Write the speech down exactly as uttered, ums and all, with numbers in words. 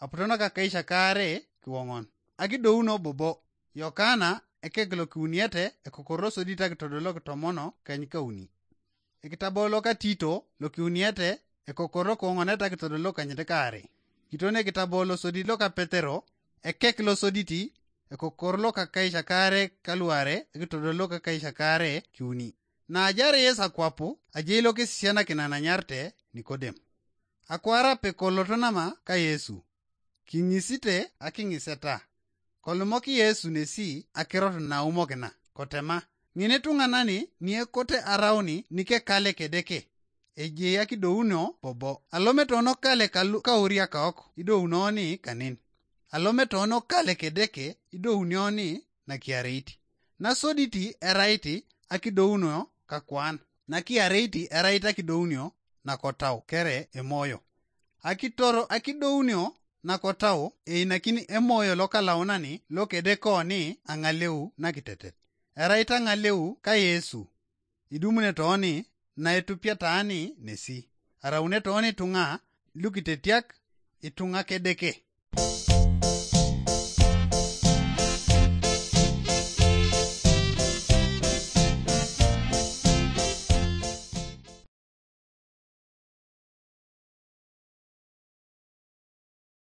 aputono ka keisha kaare kiwoŋon. Akidouno bobo. Yokana ekek lokiuniete ekokoro sodit akitodolok tomono keny kauni. Ekitabo loka Tito lokiuniete ekokoro koŋonet akitodolok kanyit kaare. Kiton ekitabo losodit loka Petero ekek losoditi ekokoro loka keisha kaare kaluare ekitodolok keisha kaare kiuni. Naajar Yesu akwapu ajei lokisisianakin ananyarte Nikodem. Akwar ape koloto nama ka Yesu. Kiŋisite akiŋiseta. Kolumok Yesu nesi akirot naumokina, kotema, ŋin etuŋanani niekote arauni nikekale kedeke. Ejei akidounio bobo. Alometono kale kauriakaok idounoni kanin. Alometono kale kedeke idounioni nakiareit. Nasoditi erait akidounio kakwan. Nakiareit erait akidounio nakotau kere emoyo. Akitoro akidounio nakotau einakini emoyo lokalaunani lokedekoni aŋaleu nakitetet. Erait aŋaleu ka Yesu. Idumune tooni naetupiataani nesi. Araune tooni ituŋa lukitetiak ituŋa kedeke.